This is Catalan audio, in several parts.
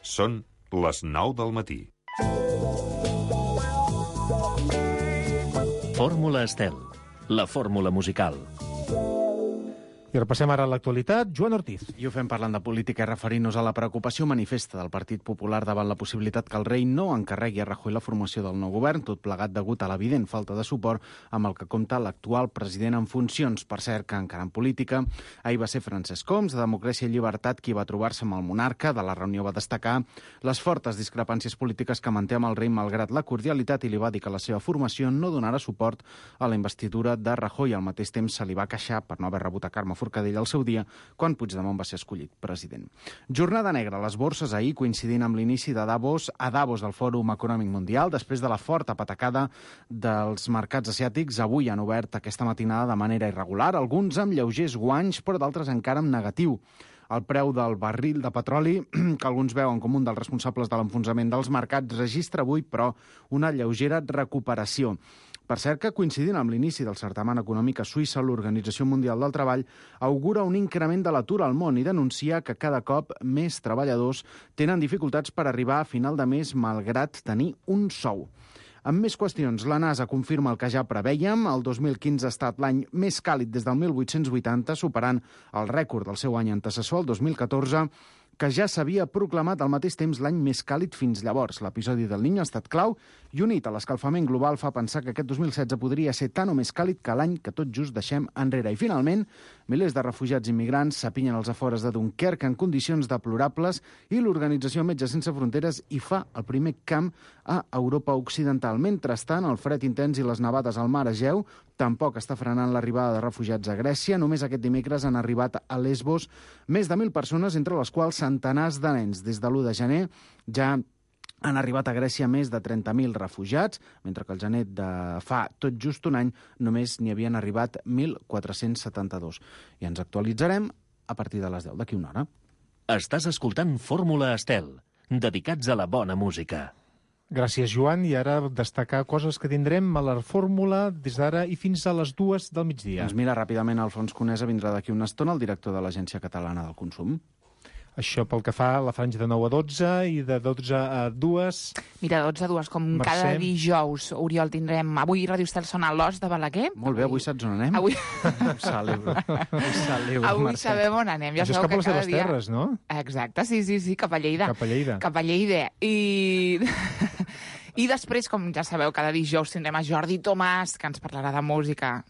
Són les 9 del matí. Fórmula Estel, la fórmula musical. I repassem ara l'actualitat. Joan Ortiz. I ho fem parlant de política i referint-nos a la preocupació manifesta del Partit Popular davant la possibilitat que el rei no encarregui a Rajoy la formació del nou govern, tot plegat degut a l'evident falta de suport amb el que compta l'actual president en funcions. Per cert, que encara en política, ahir va ser Francesc Homs, de Democràcia i Llibertat, qui va trobar-se amb el monarca. De la reunió va destacar les fortes discrepàncies polítiques que manté amb el rei malgrat la cordialitat i li va dir que la seva formació no donarà suport a la investidura de Rajoy. Al mateix temps se li va queixar per no haver rebut a Carme Forcadell al seu dia, quan Puigdemont va ser escollit president. Jornada negra a les borses ahir, coincidint amb l'inici de Davos, a Davos del Fòrum Econòmic Mundial. Després de la forta patacada dels mercats asiàtics, avui han obert aquesta matinada de manera irregular, alguns amb lleugers guanys, però d'altres encara amb negatiu. El preu del barril de petroli, que alguns veuen com un dels responsables de l'enfonsament dels mercats, registra avui, però, una lleugera recuperació. Per cert que, coincidint amb l'inici del certamen econòmic a Suïssa, l'Organització Mundial del Treball augura un increment de l'atur al món i denuncia que cada cop més treballadors tenen dificultats per arribar a final de mes malgrat tenir un sou. Amb més qüestions, la NASA confirma el que ja prevèiem. El 2015 ha estat l'any més càlid des del 1880, superant el rècord del seu any antecessor, el 2014, que ja s'havia proclamat al mateix temps l'any més càlid fins llavors. L'episodi del Niño ha estat clau i unit a l'escalfament global fa pensar que aquest 2016 podria ser tan o més càlid que l'any que tot just deixem enrere. I finalment, milers de refugiats immigrants s'apinyen als afores de Dunkerque en condicions deplorables i l'organització Metges Sense Fronteres hi fa el primer camp a Europa Occidental. Mentrestant, el fred intens i les nevades al mar Egeu tampoc està frenant l'arribada de refugiats a Grècia. Només aquest dimecres han arribat a Lesbos més de 1.000 persones, entre les quals centenars de nens. Des de l'1 de gener ja han arribat a Grècia més de 30.000 refugiats, mentre que el gener de fa tot just un any només n'hi havien arribat 1.472. I ens actualitzarem a partir de les 10 d'aquí una hora. Estàs escoltant Fórmula Estel, dedicats a la bona música. Gràcies, Joan. I ara destacar coses que tindrem a la fórmula des d'ara i fins a les 2 del migdia. Doncs mira, ràpidament, Alfons Conesa vindrà d'aquí una estona, el director de l'Agència Catalana del Consum. Això pel que fa a la franja de 9 a 12 i de 12 a 2. Mira, 12 a 2, com Mercè. cada dijous, Oriol, tindrem... Avui Ràdio Estel sona a l'Os de Balaguer. Molt bé, avui saps on anem? Avui, Ho celebro, avui Mercè. sabem on anem. Ja Això és sabeu cap a que les cada teves dia... terres, no? Exacte, sí, cap a Lleida. Cap a Lleida. Cap a Lleida. I després, com ja sabeu, cada dijous tindrem a Jordi Tomàs, que ens parlarà de música.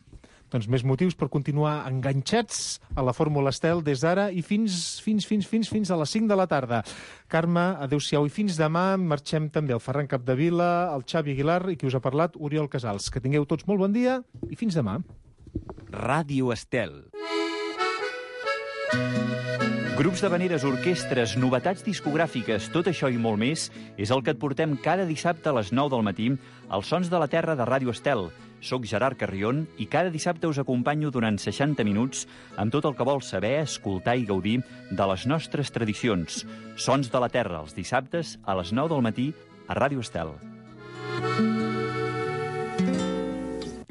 Doncs més motius per continuar enganxats a la Fórmula Estel des d'ara i fins a les 5 de la tarda. Carme, adéu-siau i fins demà. Marxem també el Ferran Capdevila, el Xavi Aguilar i qui us ha parlat, Oriol Casals. Que tingueu tots molt bon dia i fins demà. Ràdio Estel. Grups d'havaneres, orquestres, novetats discogràfiques, tot això i molt més és el que et portem cada dissabte a les 9 del matí als Sons de la Terra de Ràdio Estel. Soc Gerard Carrion i cada dissabte us acompanyo durant 60 minuts amb tot el que vols saber, escoltar i gaudir de les nostres tradicions. Sons de la Terra, els dissabtes a les 9 del matí a Ràdio Estel.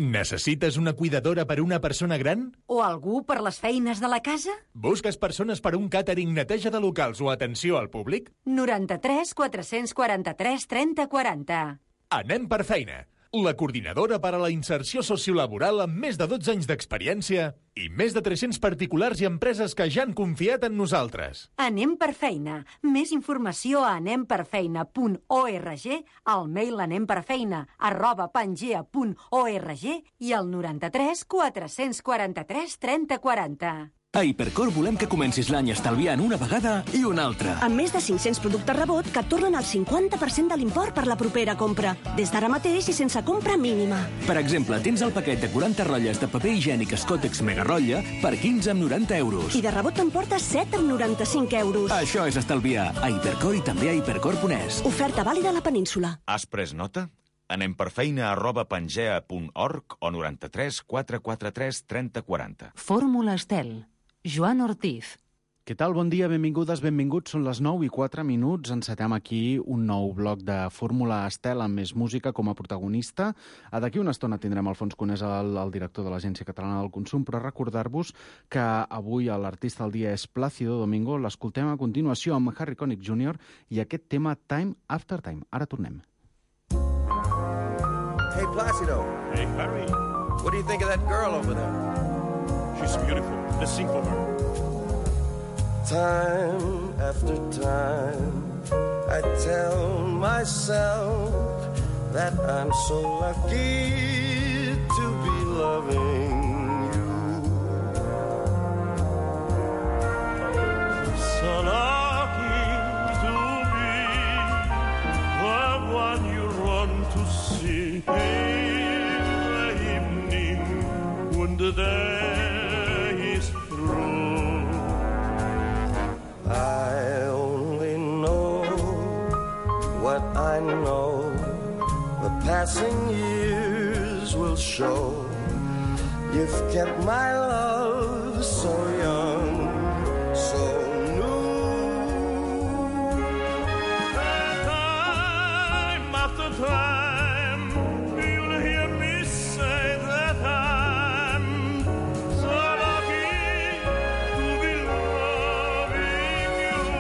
Necessites una cuidadora per una persona gran? O algú per les feines de la casa? Busques persones per un càtering, neteja de locals o atenció al públic? 93 443 30 40. Anem per feina. La coordinadora per a la inserció sociolaboral amb més de 12 anys d'experiència i més de 300 particulars i empreses que ja han confiat en nosaltres. Anem per feina. Més informació a anemperfeina.org, al mail anemperfeina@pangea.org i al 93 443 30 40. A Hipercor volem que comencis l'any estalviant una vegada i una altra. Amb més de 500 productes rebot que et tornen el 50% de l'import per la propera compra. Des d'ara mateix i sense compra mínima. Per exemple, tens el paquet de 40 rotlles de paper higiènic Scottex Mega Rotlla per 15,90 €. I de rebot t'emportes 7,95 €. Això és estalviar. A Hipercor i també a hipercor.es. Oferta vàlida a la península. Has pres nota? Anem per feina@pangea.org o 93 443 30 40. Fórmula Estel. Joan Ortiz. Què tal? Bon dia, benvingudes, benvinguts. Són les 9:04. Encetem aquí un nou bloc de Fórmula Estel amb més música com a protagonista. D'aquí una estona tindrem Alfons Conesa, el director de l'Agència Catalana del Consum, però recordar-vos que avui l'artista del dia és Plácido Domingo. L'escoltem a continuació amb Harry Connick Jr. i aquest tema Time After Time. Ara tornem. Hey, Plácido. Hey, Harry. What do you think of that girl over there? She's beautiful. Let's sing for her. Time after time, I tell myself that I'm so lucky to be loving you. So lucky to be the one you run to see in the evening when the day is through. I only know what I know. The passing years will show. You've kept my love so young, so new. Time after time, you'll hear me say that I'm so lucky to be loving you.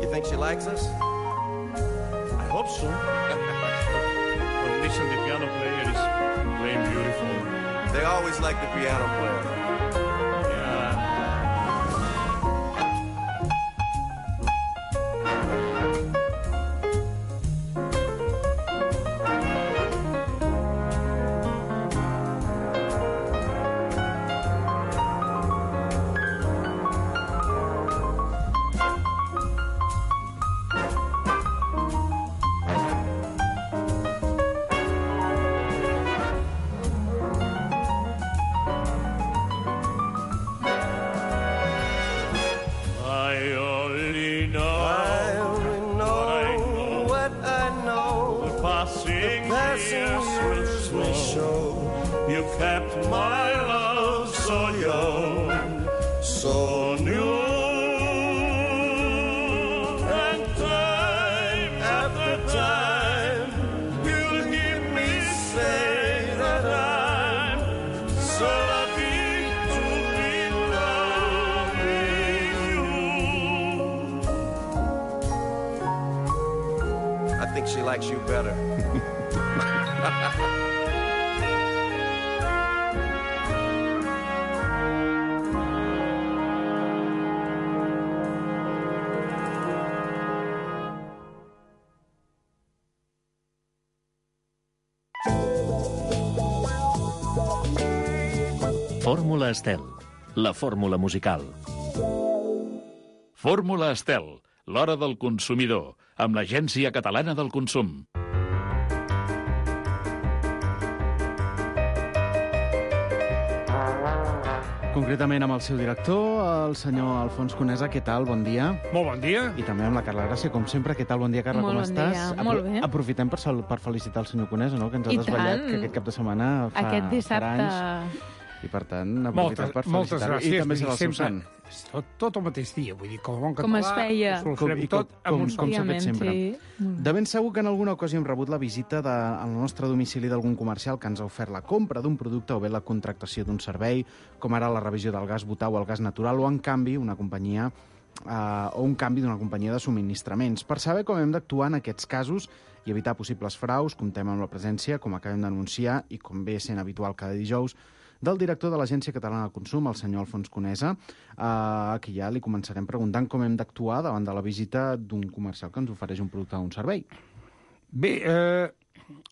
You think she likes us? I hope so. But listen, the piano player is playing beautiful. They always like the piano player. You kept my love so young, so new. And time after time, you'll hear me say that I'm so lucky to be loving you. I think she likes you better. Fórmula Estel, la fórmula musical. Fórmula Estel, l'hora del consumidor, amb l'Agència Catalana del Consum. Concretament amb el seu director, el senyor Alfons Conesa. Què tal? Bon dia. Molt bon dia. I també amb la Carla Gràcia, com sempre. Què tal? Bon dia, Carla, Molt com bon estàs? dia. Molt bé. Aprofitem per felicitar el senyor Conesa, no?, que ens ha desvetllat que aquest cap de setmana fa Aquest dissabte... anys. I, per tant, aprofitem per moltes felicitar-lo. gràcies. I també serà el seu sant. Tot el mateix dia, vull dir, com a bon català... Com es feia. Ho solucionem tot amb un com s'ha fet sempre. Sí. De ben segur que en alguna ocasió hem rebut la visita al nostre domicili d'algun comercial que ens ha ofert la compra d'un producte o bé la contractació d'un servei, com ara la revisió del gas butà o el gas natural, o en canvi una companyia o un canvi d'una companyia de subministraments. Per saber com hem d'actuar en aquests casos i evitar possibles fraus, comptem amb la presència, com acabem d'anunciar, i com ve sent habitual cada dijous, del director de l'Agència Catalana del Consum, el senyor Alfons Conesa, que ja li començarem preguntant com hem d'actuar davant de la visita d'un comercial que ens ofereix un producte o un servei. Bé,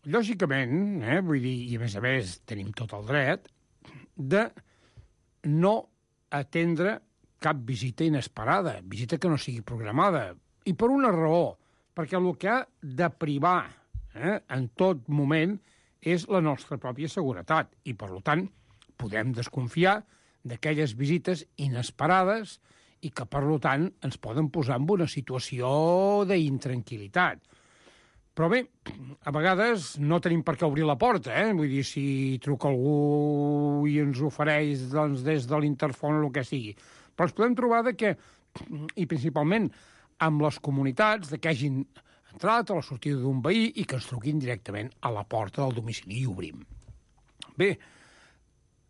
lògicament, vull dir, i a més tenim tot el dret, de no atendre cap visita inesperada, visita que no sigui programada, i per una raó, perquè el que ha de privar en tot moment és la nostra pròpia seguretat, i per tant podem desconfiar d'aquelles visites inesperades i que, per tant, ens poden posar en una situació d'intranquil·litat. Però bé, a vegades no tenim per què obrir la porta, Vull dir, si truca algú i ens ofereix doncs, des de l'interfon o el que sigui. Però ens podem trobar que, i principalment amb les comunitats, que hagin entrat a la sortida d'un veí i que ens truquin directament a la porta del domicili i obrim. Bé,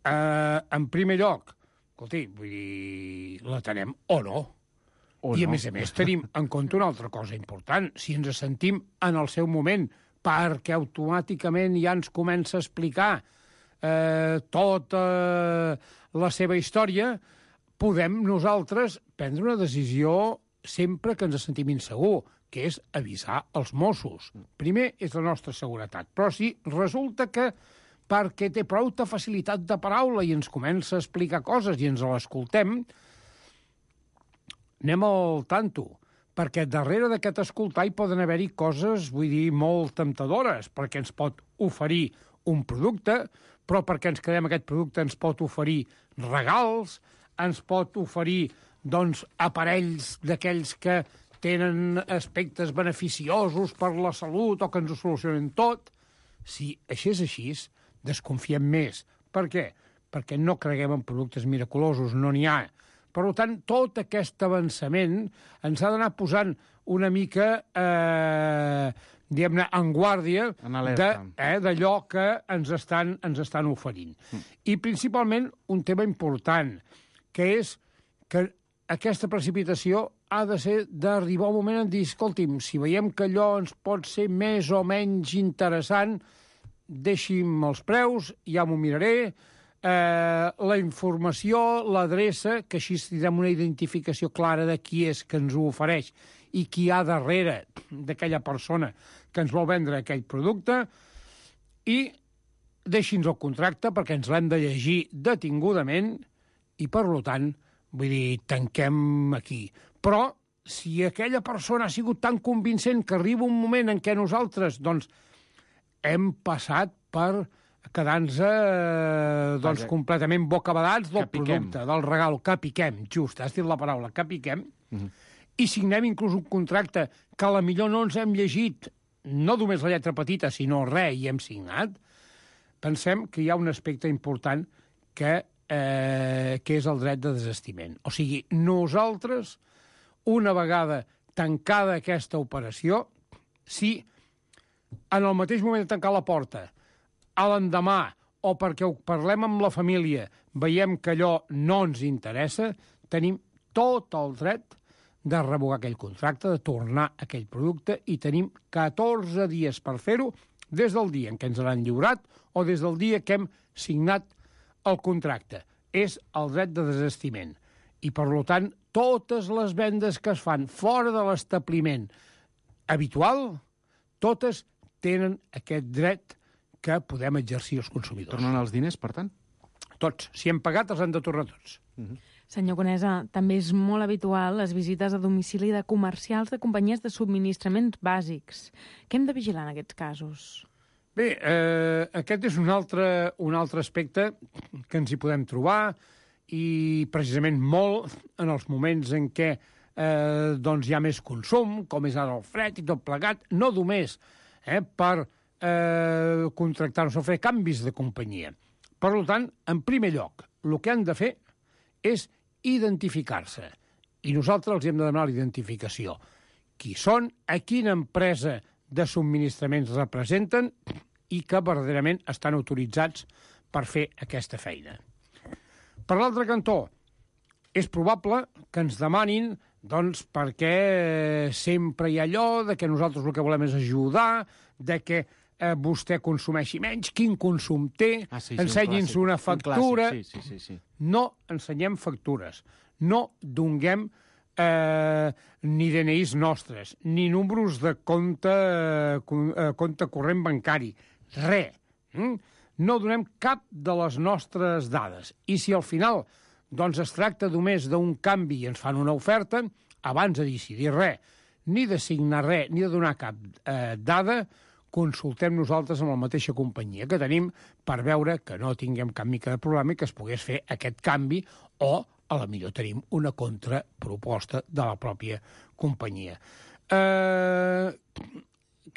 en primer lloc, escolti, vull dir, l'atenem o no. I, a més, tenim en compte una altra cosa important. Si ens sentim en el seu moment, perquè automàticament ja ens comença a explicar tota la seva història, podem nosaltres prendre una decisió sempre que ens sentim insegur, que és avisar els Mossos. Primer és la nostra seguretat. Però si resulta que perquè té prou facilitat de paraula i ens comença a explicar coses i ens l'escoltem, anem al tanto, perquè darrere d'aquest escoltar hi poden haver-hi coses, vull dir, molt temptadores, perquè ens pot oferir un producte, però perquè ens quedem aquest producte ens pot oferir regals, ens pot oferir, doncs, aparells d'aquells que tenen aspectes beneficiosos per la salut o que ens ho solucionen tot. Si això és així, desconfiem més. Per què? Perquè no creguem en productes miraculosos, no n'hi ha. Per tant, tot aquest avançament ens ha d'anar posant una mica, diguem-ne, en guàrdia d'allò que ens estan oferint. I principalment un tema important, que és que aquesta precipitació ha de ser d'arribar un moment en dir, escolti'm, si veiem que allò ens pot ser més o menys interessant, deixi'm els preus, ja m'ho miraré, la informació, l'adreça, que així tindrem una identificació clara de qui és que ens ho ofereix i qui hi ha darrere d'aquella persona que ens vol vendre aquell producte, i deixi'ns el contracte perquè ens l'hem de llegir detingudament i, per tant, vull dir, tanquem aquí. Però si aquella persona ha sigut tan convincent que arriba un moment en què nosaltres, doncs, hem passat per quedar-nos completament bocabadats del producte, del regal, que piquem, just, has dit la paraula, que piquem, i signem inclús un contracte que a la millor no ens hem llegit, no només la lletra petita, sinó res, i hem signat, pensem que hi ha un aspecte important que és el dret de desistiment. O sigui, nosaltres, una vegada tancada aquesta operació, si en el mateix moment de tancar la porta, a l'endemà, o perquè ho parlem amb la família, veiem que allò no ens interessa, tenim tot el dret de revocar aquell contracte, de tornar aquell producte, i tenim 14 dies per fer-ho, des del dia en què ens l'han lliurat o des del dia que hem signat el contracte. És el dret de desistiment. I, per tant, totes les vendes que es fan fora de l'establiment habitual, totes tenen aquest dret que podem exercir els consumidors. Tornen els diners, per tant? Tots. Si hem pagat, els han de tornar tots. Senyor Conesa, també és molt habitual les visites a domicili de comercials de companyies de subministraments bàsics. Què hem de vigilar en aquests casos? Bé, aquest és un altre aspecte que ens hi podem trobar, i precisament molt en els moments en què doncs hi ha més consum, com és ara el fred i tot plegat, no només per contractar-nos o fer canvis de companyia. Per tant, en primer lloc, el que han de fer és identificar-se. I nosaltres els hem de demanar la identificació. Qui són, a quina empresa de subministraments representen i que verdaderament estan autoritzats per fer aquesta feina. Per l'altre cantó, és probable que ens demanin, doncs, perquè sempre hi ha allò de que nosaltres el que volem és ajudar, de que vostè consumeixi menys, quin consum té, ensenyi'ns una factura. No ensenyem factures, no donem ni DNIs nostres, ni números de compte corrent bancari, res. No donem cap de les nostres dades. I si al final doncs es tracta només d'un canvi i ens fan una oferta, abans de decidir res, ni de signar res, ni de donar cap dada, consultem nosaltres amb la mateixa companyia que tenim per veure que no tinguem cap mica de problema i que es pogués fer aquest canvi, o a la millor tenim una contraproposta de la pròpia companyia.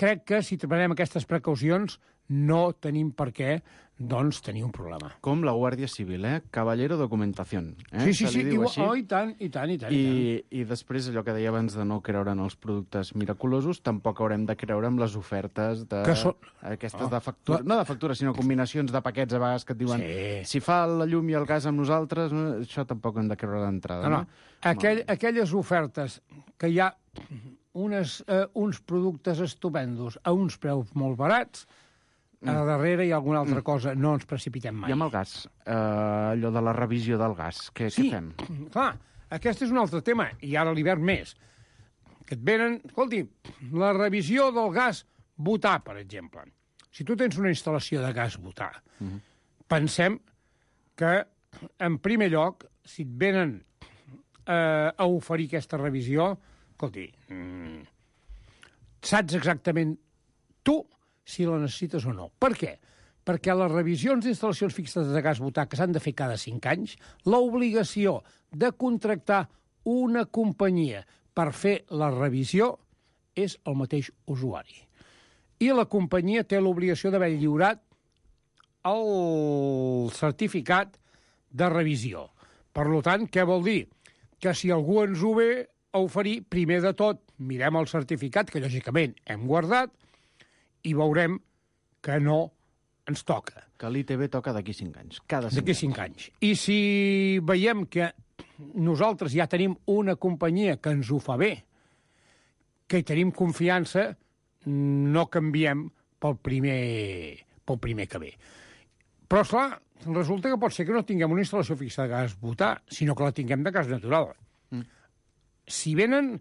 crec que si prenem aquestes precaucions no tenim per què tenir un problema. Com la Guàrdia Civil, Caballero Documentación. Sí, i tant. I després allò que deia abans de no creure en els productes miraculosos, tampoc haurem de creure en les ofertes aquestes de factura, no de factura, sinó combinacions de paquets a vegades que et diuen si fa la llum i el gas amb nosaltres, això tampoc hem de creure d'entrada. No. Aquelles ofertes que hi ha uns productes estupendos a uns preus molt barats, a darrere hi ha alguna altra cosa, no ens precipitem mai. I amb el gas, allò de la revisió del gas, què fem? Clar, aquest és un altre tema, i ara l'hivern més. Que et venen, escolti, la revisió del gas butà, per exemple. Si tu tens una instal·lació de gas butà, pensem que, en primer lloc, si et venen a oferir aquesta revisió, escolti, saps exactament tu si la necessites o no. Per què? Perquè les revisions d'instal·lacions fixes de gas butà que s'han de fer cada 5 anys, l'obligació de contractar una companyia per fer la revisió és el mateix usuari. I la companyia té l'obligació d'haver lliurat el certificat de revisió. Per tant, què vol dir? Que si algú ens ho ve a oferir, primer de tot, mirem el certificat, que lògicament hem guardat, i veurem que no ens toca. Que l'ITB toca d'aquí 5 anys, cada 5 anys. D'aquí 5 anys. I si veiem que nosaltres ja tenim una companyia que ens ho fa bé, que hi tenim confiança, no canviem pel primer que ve. Però, esclar, resulta que pot ser que no tinguem una instal·lació fixa de gas butà, sinó que la tinguem de gas natural. Si venen,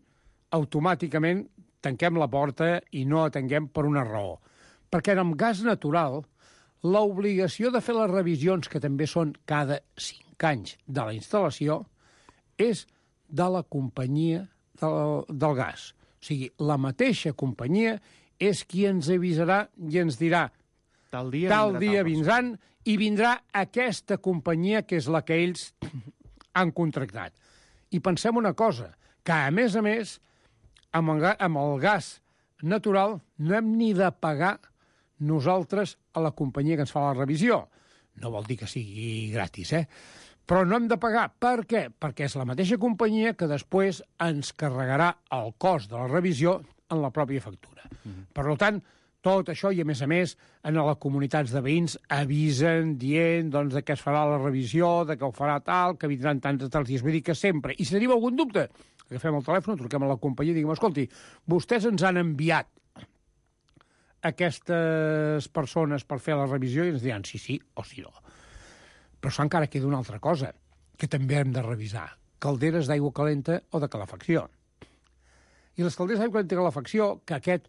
automàticament tanquem la porta i no atenguem per una raó. Perquè amb gas natural, l'obligació de fer les revisions, que també són cada 5 anys de la instal·lació, és de la companyia del gas. O sigui, la mateixa companyia és qui ens avisarà i ens dirà tal dia vindran i vindrà aquesta companyia que és la que ells han contractat. I pensem una cosa, que a més, amb el gas natural no hem ni de pagar nosaltres a la companyia que ens fa la revisió. No vol dir que sigui gratis, Però no hem de pagar. Per què? Perquè és la mateixa companyia que després ens carregarà el cost de la revisió en la pròpia factura. Per tant, tot això, i a més, en les comunitats de veïns avisen dient de que es farà la revisió, de que ho farà tal, que vindran tants i tals dies. Vull dir que sempre, i si tenim algun dubte, agafem el telèfon, truquem a la companyia i diguem, escolti, vostès ens han enviat aquestes persones per fer la revisió i ens diran sí o sí no. Però encara queda una altra cosa que també hem de revisar. Calderes d'aigua calenta o de calefacció. I les calderes d'aigua calenta i calefacció, que aquest,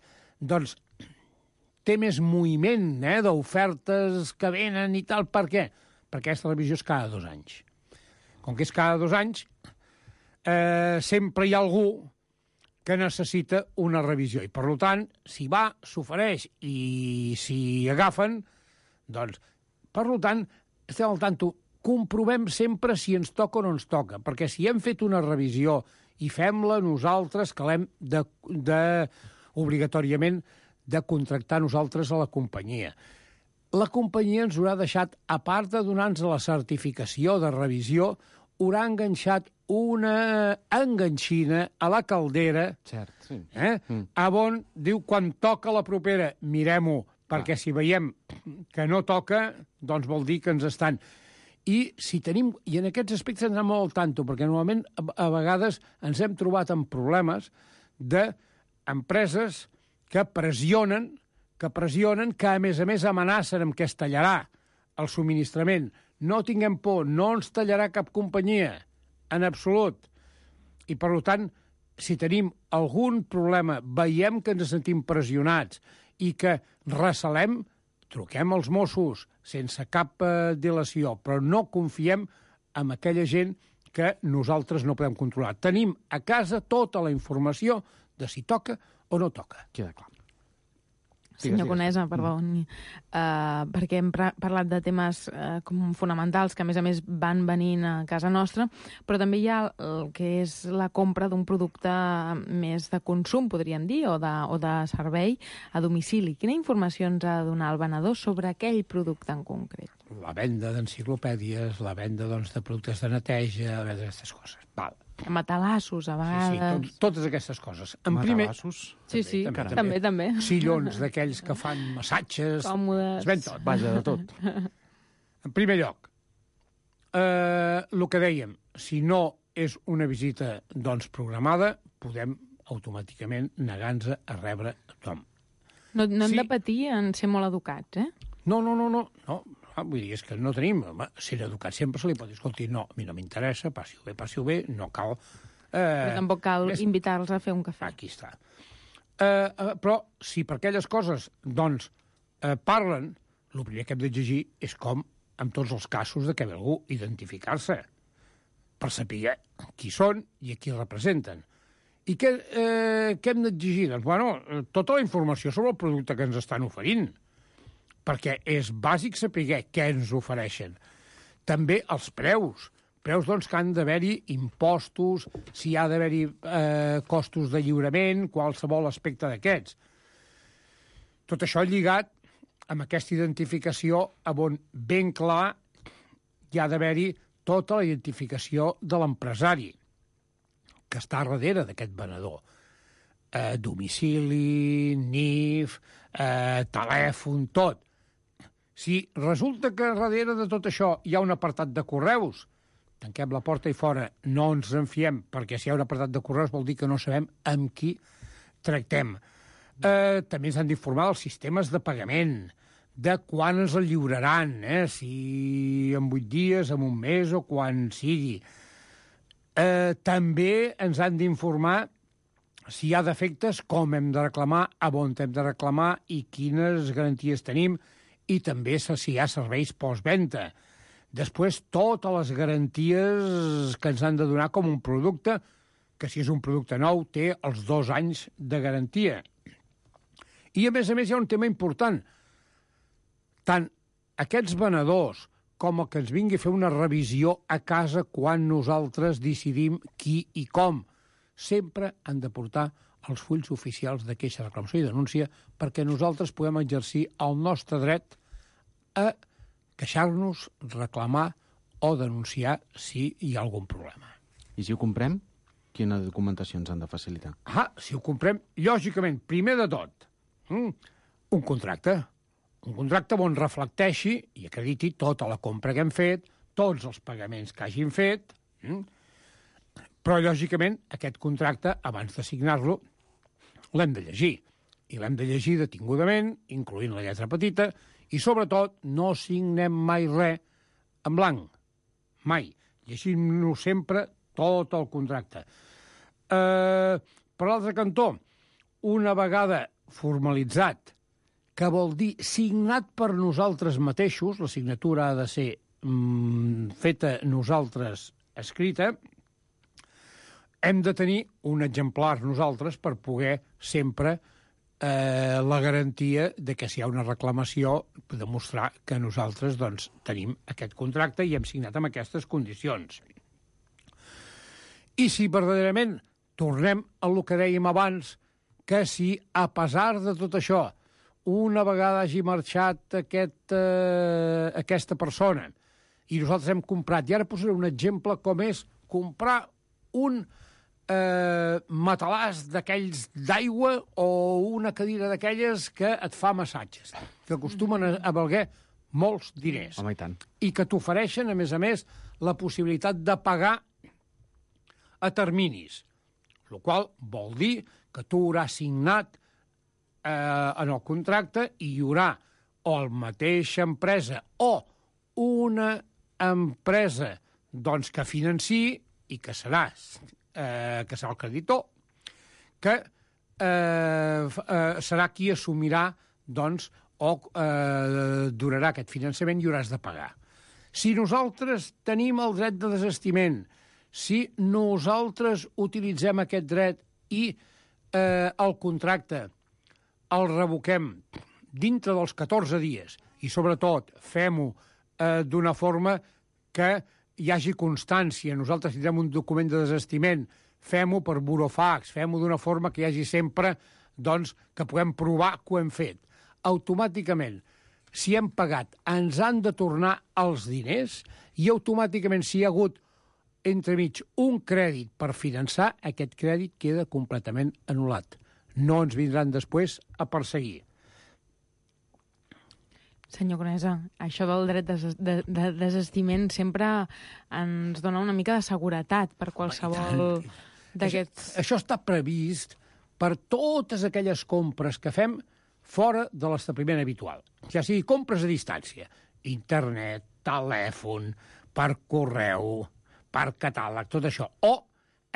té més moviment d'ofertes que venen i tal. Per què? Perquè aquesta revisió és cada 2 anys. Com que és cada 2 anys, sempre hi ha algú que necessita una revisió. I, per tant, si va, s'ofereix i si agafen, per tant, estem al tanto. Comprovem sempre si ens toca o no ens toca, perquè si hem fet una revisió i fem-la nosaltres, que l'hem obligatòriament de contractar nosaltres a la companyia. La companyia ens haurà deixat, a part de donar-nos la certificació de revisió, haurà enganxat una enganxina a la caldera, on diu, quan toca la propera, mirem-ho, perquè si veiem que no toca, doncs vol dir que ens estan... I en aquests aspectes ens anem molt al tanto, perquè normalment a vegades ens hem trobat amb problemes d'empreses que pressionen, que a més amenacen amb que es tallarà el subministrament. No tinguem por, no ens tallarà cap companyia, en absolut. I, per tant, si tenim algun problema, veiem que ens sentim pressionats i que recelem, truquem als Mossos sense cap dilació, però no confiem en aquella gent que nosaltres no podem controlar. Tenim a casa tota la informació de si toca o no toca. Queda clar. senyor Conesa, perdó, perquè hem parlat de temes com fonamentals que, a més, van venint a casa nostra, però també hi ha el que és la compra d'un producte més de consum, podríem dir, o de servei a domicili. Quina informació ens ha de donar el venedor sobre aquell producte en concret? La venda d'enciclopèdies, la venda de productes de neteja, aquestes coses. Val. Matalassos, a vegades... Sí, totes aquestes coses. Matalassos? Sí, també. Sillons d'aquells que fan massatges... Còmodes... Es ven tot. Vaja, de tot. En primer lloc, el que dèiem, si no és una visita, programada, podem automàticament negar-nos a rebre tothom. No hem de patir en ser molt educats, No. Vull dir, és que no tenim... Ser educat sempre se li pot dir, escolti, no, a mi no m'interessa, passi-ho bé, no cal... Però tampoc cal invitar-los a fer un cafè. Aquí està. Però si per aquelles coses, parlen, el primer que hem d'exigir és com, en tots els casos de que ve algú, identificar-se, per saber qui són i a qui representen. I què hem d'exigir? Tota la informació sobre el producte que ens estan oferint, perquè és bàsic saber què ens ofereixen. També els preus que han d'haver-hi impostos, si hi ha d'haver-hi costos de lliurament, qualsevol aspecte d'aquests. Tot això lligat amb aquesta identificació on ben clar hi ha d'haver-hi tota la identificació de l'empresari que està darrere d'aquest venedor. Domicili, NIF, telèfon, tot. Si resulta que darrere de tot això hi ha un apartat de correus, tanquem la porta i fora, no ens en fiem, perquè si hi ha un apartat de correus vol dir que no sabem amb qui tractem. També ens han d'informar dels sistemes de pagament, de quan ens el lliuraran, si en 8 dies, en un mes o quan sigui. També ens han d'informar si hi ha defectes, com hem de reclamar, a on hem de reclamar i quines garanties tenim, i també si hi ha serveis postvenda. Després, totes les garanties que ens han de donar com un producte, que si és un producte nou té els 2 anys de garantia. I, a més, hi ha un tema important. Tant aquests venedors com el que ens vingui a fer una revisió a casa quan nosaltres decidim qui i com, sempre han de portar els fulls oficials de queixa, reclamació i denúncia perquè nosaltres puguem exercir el nostre dret a queixar-nos, reclamar o denunciar si hi ha algun problema. I si ho comprem, quina documentació ens han de facilitar? Si ho comprem, lògicament, primer de tot, un contracte. Un contracte on reflecteixi i acrediti tota la compra que hem fet, tots els pagaments que hagin fet, però, lògicament, aquest contracte, abans de signar-lo, l'hem de llegir. I l'hem de llegir detingudament, incloent la lletra petita, i, sobretot, no signem mai res en blanc. Mai. Llegim-nos sempre tot el contracte. Per l'altre cantó, una vegada formalitzat, que vol dir signat per nosaltres mateixos, la signatura ha de ser feta nosaltres escrita, hem de tenir un exemplar nosaltres per poder sempre la garantia de que si hi ha una reclamació demostrar que nosaltres tenim aquest contracte i hem signat amb aquestes condicions. I si verdaderament tornem a el que dèiem abans, que si a pesar de tot això una vegada hagi marxat aquesta persona i nosaltres hem comprat, i ara posaré un exemple com és comprar un matalàs d'aquells d'aigua o una cadira d'aquelles que et fa massatges, que acostumen a valer molts diners. Home, i tant. I que t'ofereixen, a més, la possibilitat de pagar a terminis, el qual vol dir que tu hauràs signat en el contracte i hi haurà o la mateixa empresa o una empresa que financi i que serà el creditor, que serà qui assumirà o donarà aquest finançament i hauràs de pagar. Si nosaltres tenim el dret de desistiment, si nosaltres utilitzem aquest dret i el contracte el revoquem dintre dels 14 dies, i sobretot fem-ho d'una forma que hi hagi constància. Nosaltres tindrem un document de desistiment, fem-ho per burofax, fem-ho d'una forma que hi hagi sempre, doncs, que puguem provar que ho hem fet. Automàticament, si hem pagat, ens han de tornar els diners i automàticament, si hi ha hagut entremig un crèdit per finançar, aquest crèdit queda completament anul·lat. No ens vindran després a perseguir. Senyor Conesa, això del dret de desistiment sempre ens dona una mica de seguretat per qualsevol d'aquests... Això està previst per totes aquelles compres que fem fora de l'establiment habitual. Ja sigui compres a distància, internet, telèfon, per correu, per catàleg, tot això. O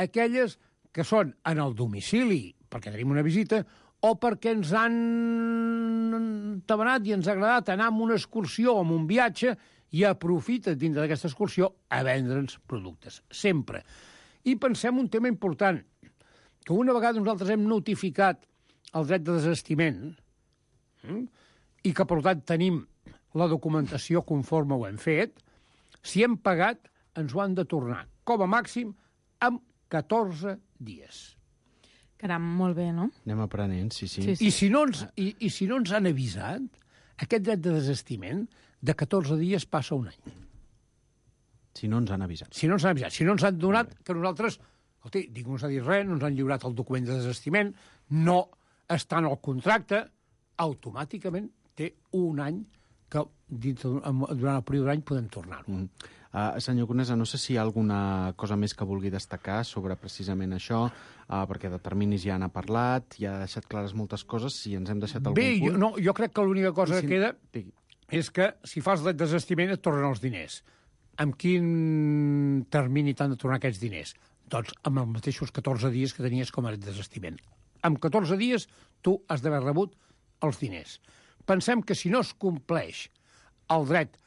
aquelles que són en el domicili, perquè tenim una visita, o perquè ens han tabanat i ens ha agradat anar a una excursió o a un viatge i aprofita dintre d'aquesta excursió a vendre'ns productes. Sempre. I pensem un tema important, que una vegada nosaltres hem notificat el dret de desistiment i que, per tant, tenim la documentació conforme ho hem fet, si hem pagat, ens ho han de tornar, com a màxim, en 14 dies. Caram, molt bé, no? Anem aprenent, sí. I si no ens han avisat, aquest dret de desistiment de 14 dies passa un any. Si no ens han avisat. Si no ens han donat que nosaltres, escolti, ningú ens ha dit res, no ens han lliurat el document de desistiment, no està en el contracte, automàticament té un any que durant el període d'any podem tornar-ho. Senyor Conesa, no sé si hi ha alguna cosa més que vulgui destacar sobre precisament això, perquè de terminis ja n'ha parlat, ja ha deixat clares moltes coses, si ens hem deixat algun punt... Jo crec que l'única cosa que queda és que si fas el desistiment et tornen els diners. Amb quin termini t'han de tornar aquests diners? Doncs amb els mateixos 14 dies que tenies com a desistiment. Amb 14 dies tu has d'haver rebut els diners. Pensem que si no es compleix el dret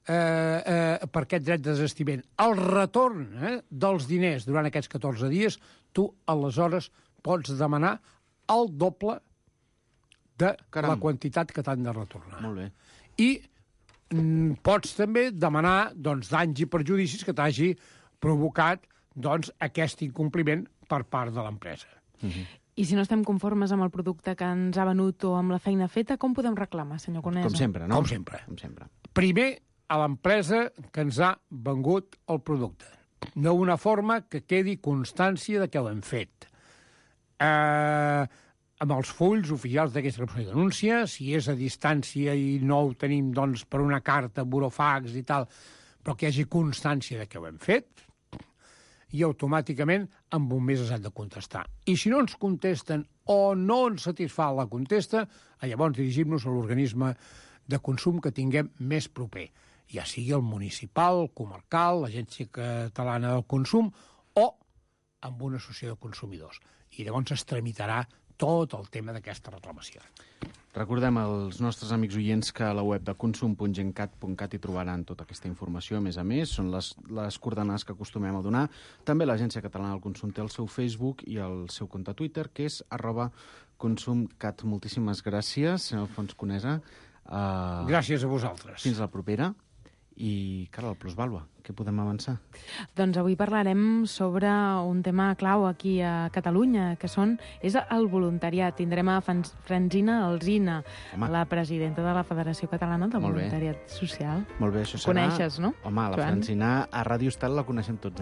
per aquest dret de desistiment, el retorn dels diners durant aquests 14 dies, tu aleshores pots demanar el doble de la quantitat que t'han de retornar. Molt bé. I pots també demanar danys i perjudicis que t'hagi provocat aquest incompliment per part de l'empresa. I si no estem conformes amb el producte que ens ha venut o amb la feina feta, com podem reclamar, senyor Conesa? Com sempre, no? Com sempre. Primer, a l'empresa que ens ha vengut el producte. D'una forma que quedi constància de que l'hem fet. Amb els fulls oficials d'aquesta repressió de denúncia, si és a distància i no ho tenim per una carta, burofax i tal, però que hi hagi constància de que ho hem fet, i automàticament amb un mes s'han de contestar. I si no ens contesten o no ens satisfà la contesta, llavors dirigim-nos a l'organisme de consum que tinguem més proper, ja sigui el municipal, el comarcal, l'Agència Catalana del Consum o amb una associació de consumidors. I llavors es tramitarà tot el tema d'aquesta reclamació. Recordem als nostres amics oients que a la web de consum.gencat.cat hi trobaran tota aquesta informació. A més, són les coordenades que acostumem a donar. També l'Agència Catalana del Consum té el seu Facebook i el seu compte Twitter, que és @consumcat. Moltíssimes gràcies, senyor Alfons Conesa. Gràcies a vosaltres. Fins la propera. I, cara, la plusvàlua, què podem avançar? Doncs avui parlarem sobre un tema clau aquí a Catalunya, que és el voluntariat. Tindrem a Francina Alsina, la presidenta de la Federació Catalana de Voluntariat Social. Molt bé, això serà... Coneixes, no? Home, la Francina a Ràdio Estel la coneixem tots,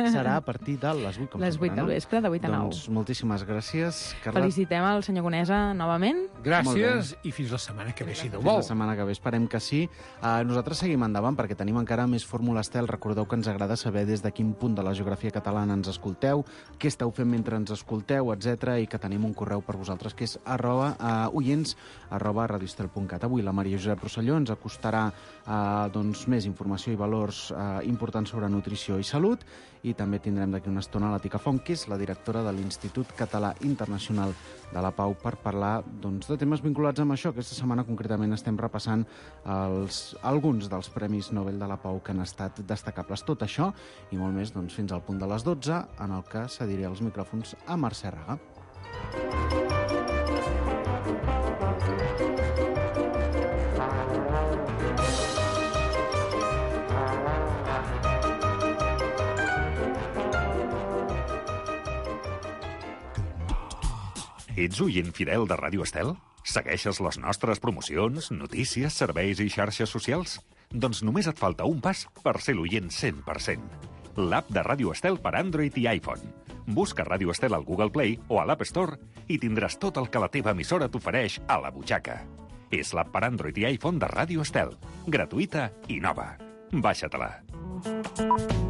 Serà a partir de les 8, com les 8 del vespre, de 8 a 9. Doncs moltíssimes gràcies, Carla. Felicitem el senyor Conesa novament. Gràcies i fins la setmana que ve, si Déu vol. Fins la setmana que ve, esperem que sí. Nosaltres seguim endavant perquè tenim encara més Fórmula Estel. Recordeu que ens agrada saber des de quin punt de la geografia catalana ens escolteu, què esteu fent mentre ens escolteu, etc. I que tenim un correu per vosaltres que és oients@radioestel.cat. Avui la Maria Josep Rosselló ens acostarà més informació i valors importants sobre nutrició i salut, i també tindrem d'aquí una estona la Tica Font, que és la directora de l'Institut Català Internacional de la Pau, per parlar de temes vinculats amb això. Aquesta setmana concretament estem repassant alguns dels Premis Nobel de la Pau que han estat destacables. Tot això i molt més fins al punt de les 12, en el que cediré els micròfons a Mercè Raga. Ets oient fidel de Ràdio Estel? Segueixes les nostres promocions, notícies, serveis i xarxes socials? Doncs només et falta un pas per ser l'oient 100%. L'app de Ràdio Estel per Android i iPhone. Busca Ràdio Estel al Google Play o a l'App Store i tindràs tot el que la teva emissora t'ofereix a la butxaca. És l'app per Android i iPhone de Ràdio Estel. Gratuïta i nova. Baixa-te-la.